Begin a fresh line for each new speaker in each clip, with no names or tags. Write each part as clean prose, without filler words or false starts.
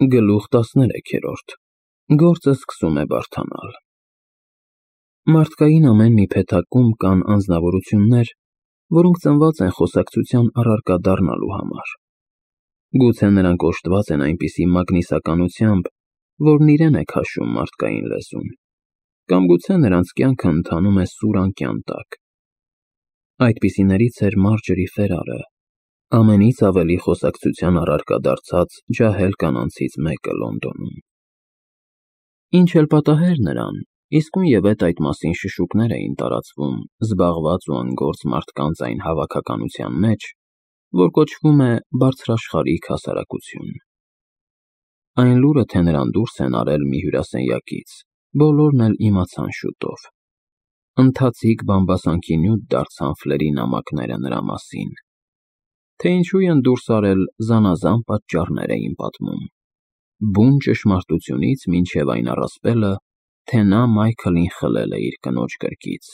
Գլուխ 13 Գործը սկսում է բարդանալ։ Մարդկային ամեն մի փեթակում կան անձնավորություններ, որոնք ծնված են խոսակցության առարկա դառնալու համար։ Գուցե նրանք օժտված են այնպիսի մագնիսականությամբ, որն իրեն է քաշում մարդկային լեզուն, կամ գուցե նրանց կյանքը ընթանում է սուր անկյան տակ։ Այդպիսիներից էր Մարջերի Ֆերարը, ամենից ավելի խոսակցության առարկա դարձած ջահել կանանցից մեկը Լոնդոնում։ Ինչ էլ պատահեր նրան, իսկույնևեթ այդ մասին շշուկներ էին տարածվում զբաղված ու անգործ մարդկանց այն հավաքականության մեջ, որ կոչվում է բարձրաշխարհիկ հասարակություն։ Այն լուրը, թե նրան դուրս են արել մի հյուրասենյակից, բոլորն էլ իմացան շուտով։ Ընթացիկ բամբասանքի նյութ դարձան ֆլերի նամակները նրա մասին։ Թե ինչու են դուրս արել, զանազան պատճառներ էին պատմում, բուն ճշմարտությունից մինչև այն առասպելը, թե նա Մայքլին խլել է իր կնոջ կրկից։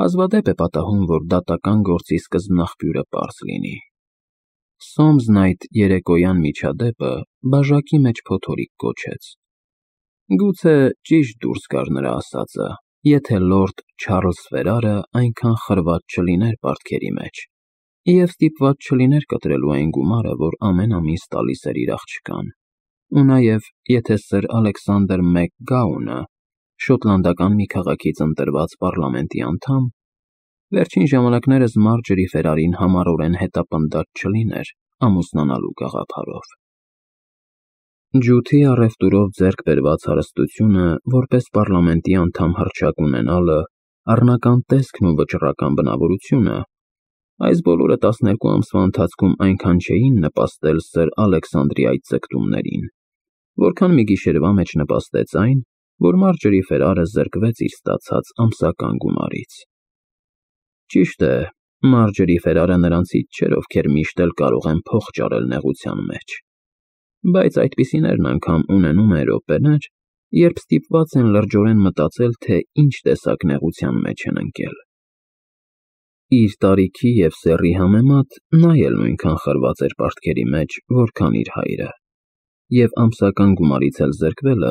Հազվադեպ է պատահում, որ դատական գործի սկզբնաղբյուրը պարզ լինի։ Սոմսն այդ երեկոյան միջադեպը բաժակի մեջ փոթորիկ կոչեց։ Գուցե ճիշտ դուրս գար նրա ասածը, եթե լորդ Չարլզ Ֆերարը այնքան խրված չլիներ պարտքերի մեջ և ստիպված չլիներ կտրելու այն գումարը, որ ամեն ամիս տալիս էր իր աղջկան, ու նաև եթե սըր Ալեքսանդր Մակգաունը, շոտլանդական մի քաղաքից ընտրված պառլամենտի անդամ, վերջին ժամանակներս Մարջերի Ֆերարին համառորեն հետապնդած չլիներ ամուսնանալու գաղափարով։ Ջութի առևտուրով ձեռք բերված հարստությունը, որպես պառլամենտի անդամ հռչակ ունենալը, առնական տեսքն ու վճռական բնավորությունը, այս բոլորը 12 ամսվա ընթացքում այնքան չէին նպաստել սըր Ալեքսանդրի այդ ձգտումներին, որքան մի գիշերվա մեջ նպաստեց այն, որ Մարջերի Ֆերարը զրկվեց իր ստացած ամսական գումարից։ Ճիշտ է, Մարջերի Ֆերարը նրանցից չէր, ովքեր միշտ էլ կարող են փող ճարել նեղության մեջ, բայց այդպիսիներն անգամ ունենում են րոպեներ, երբ ստիպված են լրջորեն մտածել, թե ինչ տեսակ նեղության մեջ են ընկել։ Իր տարիքի և սեռի համեմատ նա էլ նույնքան խրված էր պարտքերի մեջ, որքան իր հայրը, և ամսական գումարից էլ զրկվելը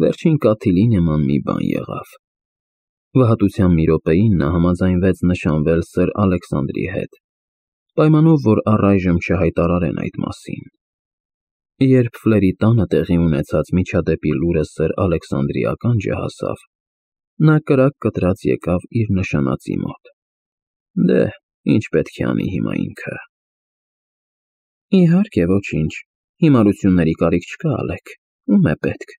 վերջին կաթիլի նման մի բան եղավ։ Վհատության մի րոպեին նա համաձայնվեց նշանվել սըր Ալեքսանդրի հետ, պայմանով, որ առայժմ չհայտարարեն այդ մասին։ Երբ Ֆլերի տանը տեղի ունեցած միջադեպի լուրը սըր Ալեքսանդրի ականջը հասավ, նա կրակ կտրած եկավ իր նշանածի մոտ։ Դե, ինչ պետք է անի հիմա ինքը։ Իհարկե, ոչինչ, հիմարությունների կարիք չկա, Ալեք, ում է պետք։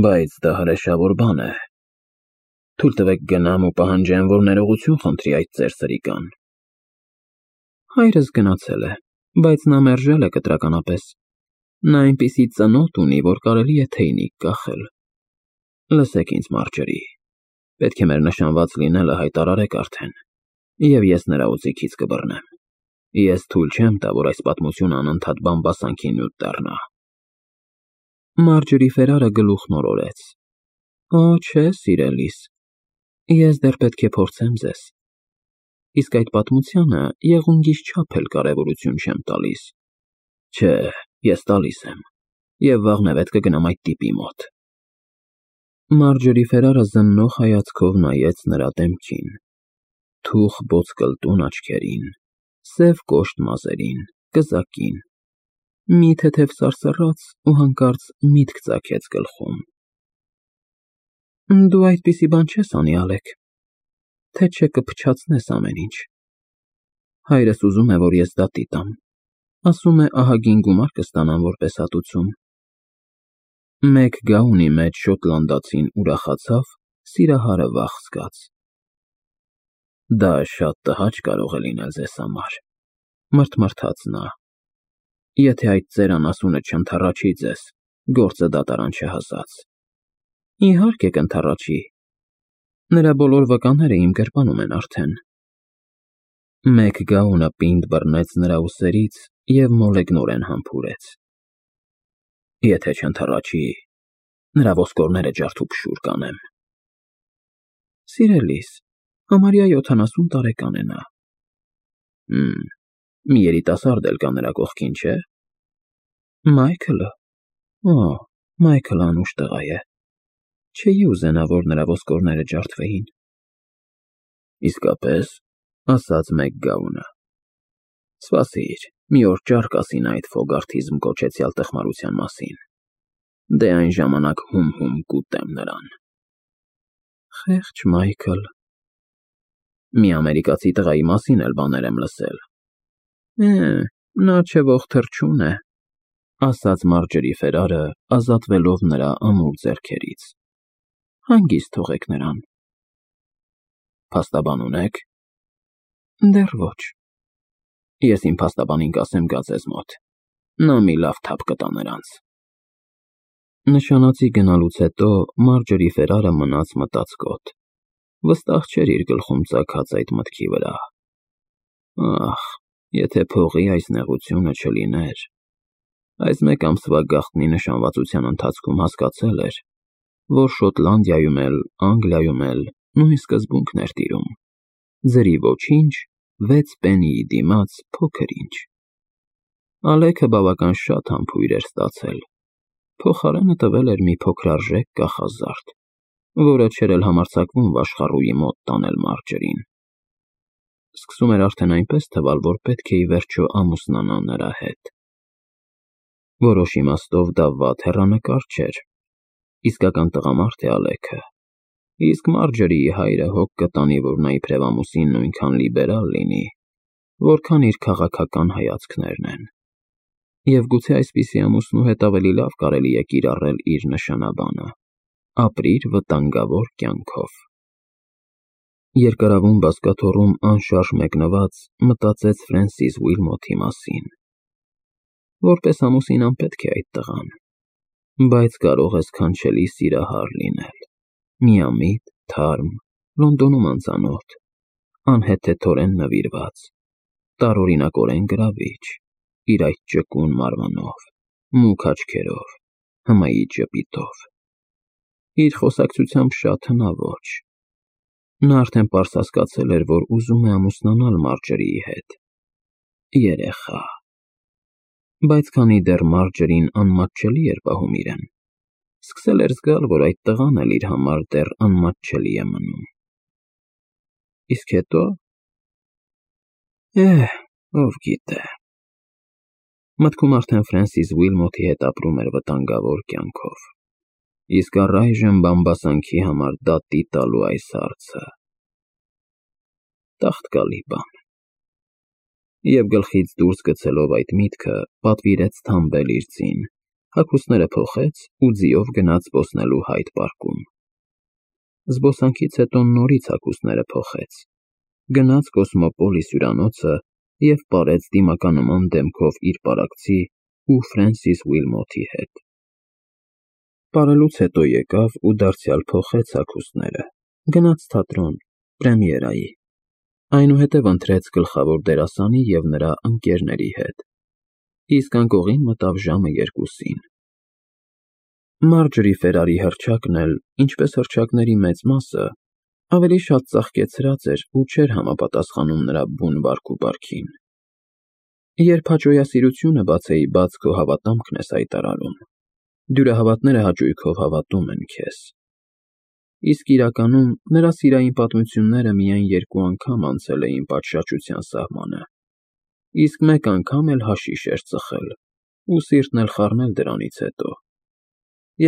Բայց դա հրեշավոր բան է։ Թույլ տվեք գնամ ու պահանջեմ, որ ներողություն խնդրի այդ ծեր սրիկան։ Հայրս գնացել է, բայց նա մերժել է կտրականապես։ Նա այնպիսի ծնոտ ունի, որ կարելի է թեյնիկ կախել։ Լսեք ինձ, Մարջերի, պետք է մեր նշանված լինելը հայտարարեք արդեն, և ես նրա օձիքից կբռնեմ։ Ես թույլ չեմ տա, որ այս պատմությունը անընդհատ բամբասանքի նյութ դառնա։ Մարջերի Ֆերարը գլուխն օրորեց։ Օ, չէ, սիրելիս, ես դեռ պետք է փորձեմ ձեզ։ Իսկ այդ պատմությանը եղունգից չափ էլ կարևորություն չեմ տալիս։ Չէ, ես տալիս եմ, և վաղնևեթ կգնամ այդ տիպի մոտ։ Մարջերի Ֆերարը զննող հայացքով նայեց նրա դեմքին, թուխ ոսկլտուն աչքերին, սև կոշտ մազերին, կզակին, մի թեթև սարսռաց ու հանկարծ միտք ծագեց գլխում։ Դու այդպիսի բան չես անի, Ալեք, թե չէ կփչացնես ամեն ինչ։ Հայրս ուզում է, որ ես դատի տամ, ասում է ահագին գումար կստանամ որպես հատուցում։ Մակգաունի մեջ շոտլանդացին ուրախացավ, սիրահարը վախ զգաց։ Դա շատ տհաճ կարող է լինել ձեզ համար, մռթմռթաց նա, եթե այդ ծեր անասունը չընդառաջի ձեզ, գործը դատարան չհասած։ Իհարկե կընդառաջի, նրա բոլոր վկաները իմ գրպանում են արդեն։ Մակգաունը պինդ բռնեց նրա ուսերից և մոլեգնորեն համբուրեց։ Եթե չընդառաջի, նրա ոսկորները ջարդուփշուր կանեմ։ Սիրելիս, համարյա 70 տարեկան է նա։ Մի երիտասարդ էլ կա նրա կողքին, չէ՞։ Մայքլը։ Օ, Մայքլը անուշ տղա է։ Չէի ուզենա, որ նրա ոսկորները ջարդվեին։ Իսկապես, ասաց Մեկգաունը։ Սպասիր, մի օր ճար կասին այդ Ֆոգարթիզմ կոչեցյալ տխմարության մասին։ Դե այն ժամանակ հում կուտեմ նրան։ Խեղճ Մայքլ։ Մի ամերիկացի տղայի մասին էլ բաներ եմ լսել։ Նա չէ ող թռչուն է, ասաց Մարջերի Ֆերարը, ազատվելով նրա ամուր ձեռքերից։ Հանգիստ թողեք նրան։ Փաստաբան ունեք։ Դեռ ոչ։ Ես իմ փաստաբանին կասեմ գա ձեզ մոտ։ Նա մի լավ թափ կտա նրանց։ Նշանոցի գնալուց հետո Մարջերի Ֆերարը մնաց մտածկոտ։ Վստահ չէր իր գլխում ծագած այդ մտքի վրա։ Ախ, եթե փողի այս նեղությունը չլիներ։ Այս մեկ ամսվա գաղտնի նշանվածության ընթացքում հասկացել էր, որ Շոտլանդիայում էլ, Անգլիայում էլ նույն սկզբունքն էր տիրում։ Ձրի ոչինչ, 6 պենիի դիմաց փոքր ինչ։ Ալեքը բավական շատ համբույր էր ստացել։ Փոխարենը տվել էր մի փոքրարժեք կախազարդ, որը չէր էլ համարձակվում Վաշխառուի մոտ տանել Մարջերին։ Սկսում էր արդեն այնպես թվալ, որ պետք է ի վերջո ամուսնանա նրա հետ։ Որոշ իմաստով դա վատ հեռանկար չէր։ Իսկական տղամարդ է Ալեքը։ Իսկ Մարջերիի հայրը հոգ կտանի, որ նա իբրև ամուսին նույնքան լիբերալ լինի, որքան իր քաղաքական հայացքներն են։ Եվ գուցե այսպիսի ամուսնու հետ ավելի լավ կարելի է կիրառել իր նշանաբանը՝ ապրիր վտանգավոր կյանքով։ Երկարավուն բազկաթոռում անշարժ մեկնված մտածեց Ֆրենսիս Ուիլմոթի մասին։ Որպես ամուսին անպետք է այդ տղան, բայց կարող է սքանչելի սիրահար լինել։ Միամիտ, թարմ, Լոնդոնում անծանոթ, անհեթեթորեն նվիրված, տարօրինակորեն գրավիչ, իր այդ ճկուն մարմնով, մուգ աչքերով, հմայի ճպիտով։ Իր խոսակցությամբ շատ հնաոճ։ Նա արդեն պարզ հասկացել էր, որ ուզում է ամուսնանալ Մարջերիի հետ։ Երեխա։ Բայց քանի դեռ Մարջերին անմատչելի էր պահում իրեն, սկսել էր զգալ, որ այդ տղան էլ իր համար դեռ անմատչելի է մնում։ Իսկ հետո… ով գիտե։ Մտքում արդեն Ֆրենսիս Ուիլմոթի հետ ապրում էր վտանգավոր կյանքով։ Իսկ առայժմ բամբասանքի համար դատի տալու այս հարցը… Տաղտկալի բան։ Եվ գլխից դուրս գցելով այդ միտքը, պատվիրեց թամբել իր ձին, հագուստները փոխեց ու ձիով գնաց զբոսնելու Հայդ պարկում։ Զբոսանքից հետո նորից հագուստները փոխեց, գնաց Կոսմոպոլիս հյուրանոցը և պարեց դիմականման դեմքով իր պարակցի ու Ֆրենսիս Ուիլմոթի հետ։ Պարելուց հետո եկավ ու դարձյալ փոխեց հագուստները, գնաց թատրոն, պրեմիերայի, այնուհետև ընթրեց գլխավոր դերասանի և նրա ընկերների հետ, իսկ անկողին մտավ ժամը 2-ին։ Մարջերի Ֆերարի հռչակն էլ, ինչպես հռչակների մեծ մասը, ավելի շատ ծաղկեցրած էր ու չէր համապատասխանում նրա բուն վարքուվարքին։ Երբ հաճոյասիրությունը բացեի բաց քո հավատամքն ես հայտարարում, դյուրահավատները հաճույքով հավատում են քեզ։ Իսկ իրականում նրա սիրային պատմությունները միայն 2 անգամ անցել էին պատշաճության սահմանը, իսկ 1 անգամ էլ հաշիշ էր ծխել ու սիրտն էլ խառնել դրանից հետո,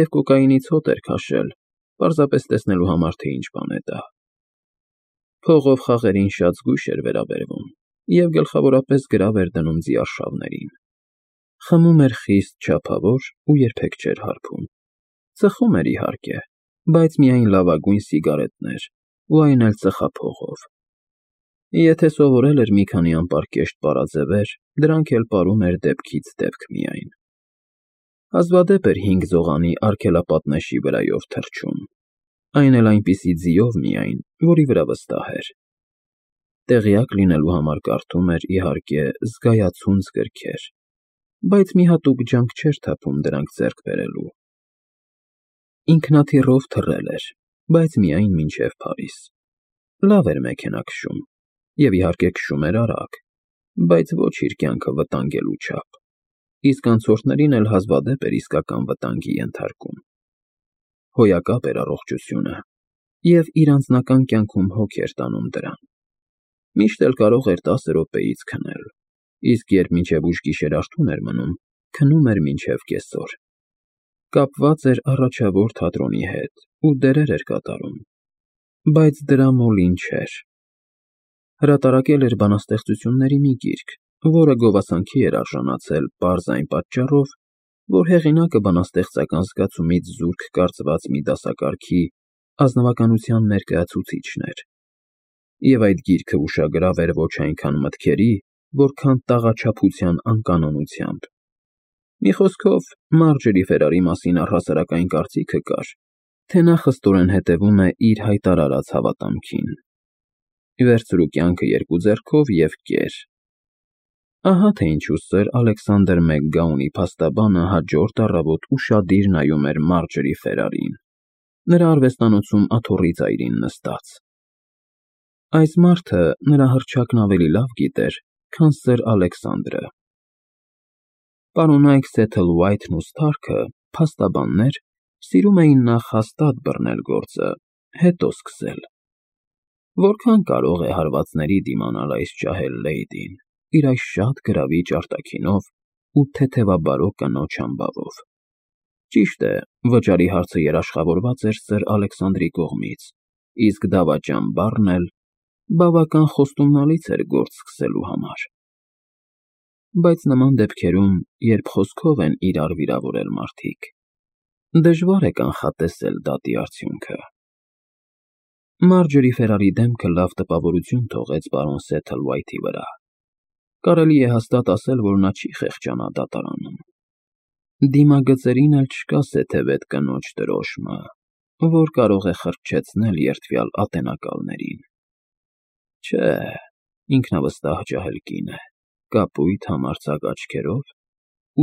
և կոկաինից հոտ էր քաշել, պարզապես տեսնելու համար, թե ինչ բան է դա։ Փողով խաղերին շատ զգույշ էր վերաբերվում և գլխավորապես գրավ էր դնում ձիարշավներին։ Խմում էր խիստ չափավոր ու երբեք չէր հարբում։ Ծխում էր իհարկե, բայց միայն լավագույն սիգարետներ ու այն էլ ծխափողով։ Եթե սովորել էր մի քանի անպարկեշտ պարաձևեր, դրանք էլ պարում էր դեպքից դեպք միայն։ Հազվադեպ էր 5 զողանի արգելապատնեշի վրայով թռչում, այն էլ այնպիսի ձիով միայն, որի վրա վստահ էր։ Տեղյակ լինելու համար կարդում էր, իհարկե, զգայացունց գրքեր, բայց մի հատուկ ջանք չէր թափում դրանք ձեռք բերելու։ Ինքնաթիռով թռել էր, բայց միայն մինչև Փարիզ։ Լավ էր մեքենա քշում, և իհարկե քշում էր արագ, բայց ոչ իր կյանքը վտանգելու չափ։ իսկ անցորդներին էլ հազվադեպ էր իսկական վտանգի ենթարկում։ Հոյակապ էր առողջությունը, և իր անձնական կյանքում հոգ էր տանում դրան։ Միշտ էլ կարող էր 10 րոպեից քնել, իսկ երբ մինչև ուշ գիշեր արթուն էր մնում, քնում էր մինչև կեսօր։ Կապված էր առաջավոր թատրոնի հետ ու դերեր էր կատարում, բայց դրա մոլին չէր։ Հրատարակել էր բանաստեղծությունների մի գիրք, որը գովասանքի էր արժանացել պարզ այն պատճառով, որ հեղինակը բանաստեղծական զգացումից զուրկ կարծված մի դասակարգի ազնվականության ներկայացուցիչն էր։ Եվ այդ գիրքը ուշագրավ էր ոչ այնքան մտքերի, որքան տաղաչափության անկանոնությամբ։ Մի խոսքով, Մարջերի Ֆերարի մասին առհասարակ այն կարծիքը կար, թե նա խստորեն հետևում է իր հայտարարած հավատամքին։ Վերցրու կյանքը երկու ձեռքով և կեր։ Ահա թե ինչու սր Ալեքսանդր Մակգաունի փաստաբանը հաջորդ առավոտ ուշադիր նայում էր Մարջերի Ֆերարին, նրա արվեստանոցում աթոռի ծայրին նստած։ Այս մարդը նրա հռչակն ավելի լավ գիտեր, քան սր Ալեքսանդրը։ Պարոնայք Սեթլվայթն ու Սթարքը, փաստաբաններ, սիրում էին նախ հաստատ բռնել գործը, հետո սկսել։ Որքան կարող է հարվածների դիմանալ այս ջահել լեյդին, իր այս շատ գրավիչ արտաքինով ու թեթևաբարո կնոջ համբավով։ Ճիշտ է, վճարի հարցը երաշխավորված էր սր Ալեքսանդրի կողմից, իսկ դավաճան բառն էլ բավական խոստումնալից էր գործ սկսելու համար։ Բայց նման դեպքերում, երբ խոսքով են իրար վիրավորել մարդիկ, դժվար է կանխատեսել դատի արդյունքը։ Մարջերի Ֆերարի դեմքը լավ տպավորություն թողեց պարոն Սեթլվայթի վրա։ Կարելի է հաստատ ասել, որ նա չի խեղճանա դատարանում։ Դիմագծերին էլ չկա սեթևետ կնոջ դրոշմը, որ կարող է խրճեցնել երդվյալ ատենակալներին։ Չէ, ինքնավստահ ջահել կին է, կապույտ համարձակ աչքերով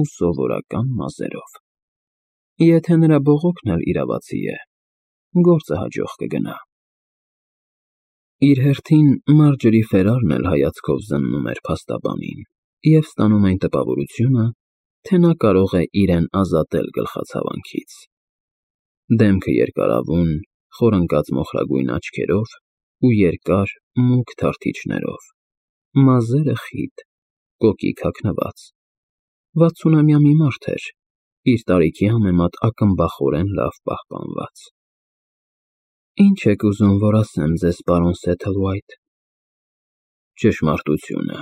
ու սովորական մազերով։ Եթե նրա բողոքն էլ իրավացի է, գործը հաջող կգնա։ Իր հերթին Մարջերի Ֆերարն էլ հայացքով զննում էր փաստաբանին և ստանում այն տպավորությունը, թե նա կարող է իրեն ազատել գլխացավանքից։ Դեմքը երկարավուն, խորընկած մոխրագույն աչքերով ու երկար, մուգ թարթիչներով, մազերը խիտ, կոկիկ հագնված։ 60-ամյա մի մարդ էր, իր տարիքի համեմատ ակնբախորեն լավ պահպանված։ Ինչ եք ուզում, որ ասեմ ձեզ, պարոն Սեթլվայթ։ Ճշմարտությունը։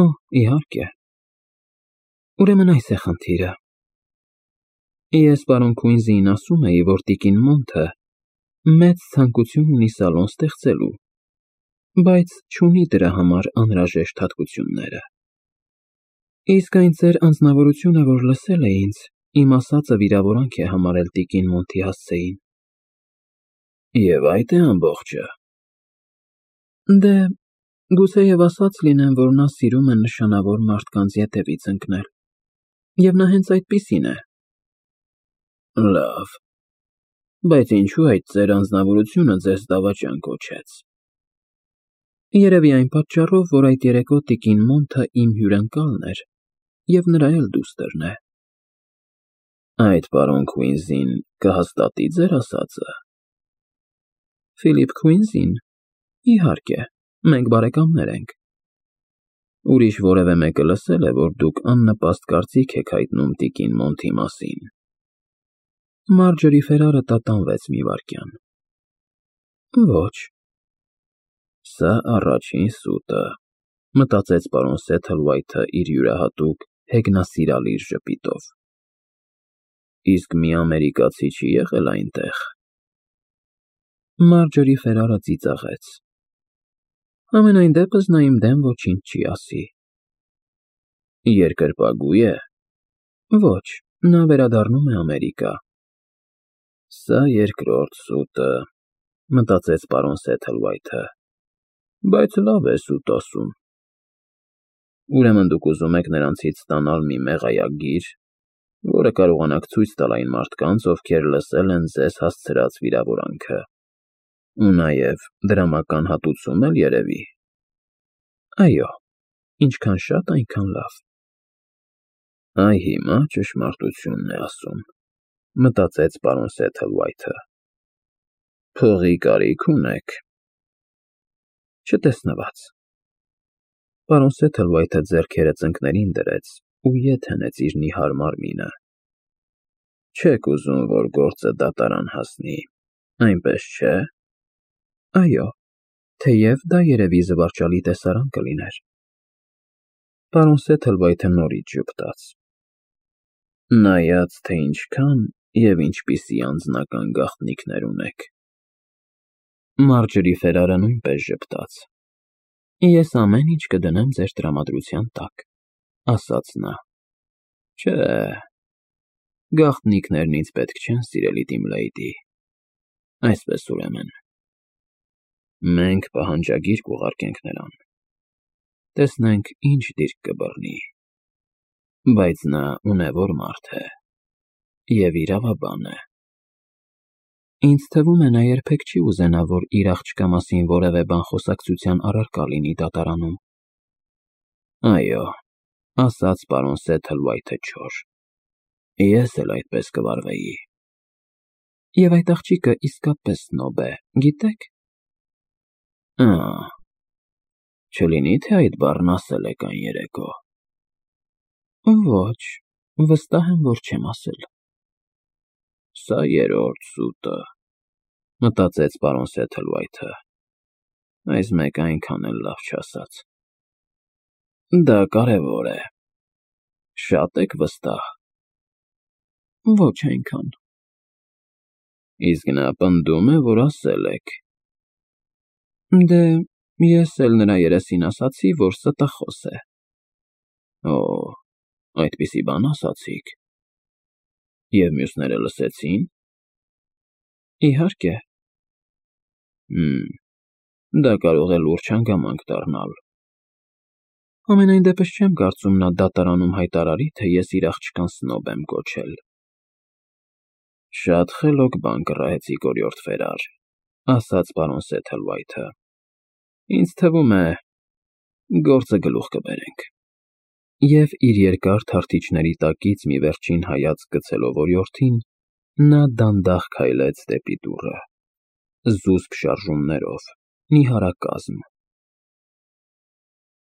Օ, իհարկե։ Ուրեմն այս է խնդիրը։ Ես պարոն Քուինզիին ասում էի, որ տիկին Մոնթը մեծ ցանկություն ունի սալոն ստեղծելու, բայց չունի դրա համար անհրաժեշտ հատկությունները։ Իսկ այն ձեր անձնավորությունը, որ լսել է ինձ, իմ ասածը վիրավորանք է համարել տիկին Մոնթի հասցեին։ Եվ այդ է ամբողջը։ Դե, գուցեև ասած լինեմ, որ նա սիրում է նշանավոր մարդկանց ետևից ընկնել, և նա հենց այդպիսին է։ Լավ, բայց ինչու այդ ձեր անձնավորությունը ձեզ դավաճան կոչեց։ Երևի այն պատճառով, որ այդ երեկո տիկին Մոնթը իմ հյուրընկալն էր, և նրա էլ դուստրն է։ Այդ պարոն Քուինզին կհաստատի ձեր ասածը։ Ֆիլիպ Քուինզին։ Իհարկե, մենք բարեկամներ ենք։ Ուրիշ որևէ մեկը լսել է, որ դուք աննպաստ կարծիք եք հայտնում տիկին Մոնթի մասին։ Մարջերի Ֆերարը տատանվեց մի վայրկյան։ Ոչ։ Սա առաջին սուտը, մտածեց պարոն Սեթլվայթը իր յուրահատուկ հեգնասիրալիր ժպիտով։ Իսկ մի ամերիկացի չի եղել այնտեղ։ Մարջերի Ֆերարը ծիծաղեց։ Համենայն դեպս նա իմ դեմ ոչինչ չի ասի։ Երկրպագու է։ Ոչ, նա վերադառնում է Ամերիկա։ Սա երկրորդ սուտը, մտածեց պարոն Սեթլվայթը, բայց լավ է սուտ ասում։ Ուրեմն դուք ուզում եք նրանցից ստանալ մի մեղայագիր, որը կարողանաք ցույց տալ այն մարդկանց, ովքեր լսել են ձեզ հասցրած վիրավորանքը, ու նաև դրամական հատուցում էլ երևի։ Այո, ինչքան շատ, այնքան լավ։ Այ հիմա ճշմարտությունն է ասում, մտածեց պարոն Սեթլվայթը։ Փողի կարիք ունեք։ Չտեսնված։ Պարոն Սեթլվայթը ձեռքերը ծնկներին դրեց ու ետ հենեց իր նիհար մարմինը։ Չեք ուզում, որ գործը դատարան հասնի, այնպես չէ՞։ Այո, թեև դա երևի զվարճալի տեսարան կլիներ։ Պարոն Սեթլվայթը նորից ժպտաց։ Նայած, թե ինչքան և ինչպիսի անձնական գաղտնիքներ ունեք։ Մարջրի Ֆերարը նույնպես ժպտաց։ Ես ամեն ինչ կդնեմ ձեր տրամադրության տակ, ասաց նա։ Չէ, գաղտնիքներն ինձ պետք չեն, սիրելի Դիմլեյդի։ Այսպես ուրեմն, մենք պահանջագիր կուղարկենք նրան, տեսնենք ինչ դիրք կբռնի, բայց նա ունևոր մարդ է և իրավաբան է։ Ինձ թվում է, նա երբեք չի ուզենա, որ իր աղջկա մասին որևէ բան խոսակցության առարկա լինի դատարանում։ Այո, ասաց պարոն Սեթլվայթը չոր, ես էլ այդպես կվարվեի։ Եվ այդ աղջիկը իսկապես սնոբ է, գիտեք։ Չլինի, թե այդ բառն ասել եք այն երեկո։ Ոչ, վստահ եմ, որ չեմ ասել։ Սա երրորդ սուտը, մտածեց պարոն Սեթլվայթը, այս մեկը այնքան էլ լավ չասաց։ Դա կարևոր է։ Շատ եք վստահ։ Ոչ այնքան։ Իսկ նա պնդում է, որ ասել եք։ Դե, ես էլ նրա երեսին ասացի, որ ստախոս է։ Օ, այդպիսի բան ասացիք։ Եվ մյուսները լսեցի՞ն։ Իհարկե։ Դա կարող է լուրջ հանգամանք դառնալ։ Համենայն դեպս չեմ կարծում նա դատարանում հայտարարի, թե ես իր աղջկան սնոբ եմ կոչել։ Շատ խելոք բան կռահեցիք, օրիորդ Ֆերար, ասաց պարոն Սեթլվայթը։ Ինձ թվում է, գործը գլուխ կբերենք։ Եվ իր երկար թարթիչների տակից մի վերջին հայացք գցելով օրիորդին, նա դանդաղ քայլեց դեպի դուռը, զուսպ շարժումներով, նիհարակազմ,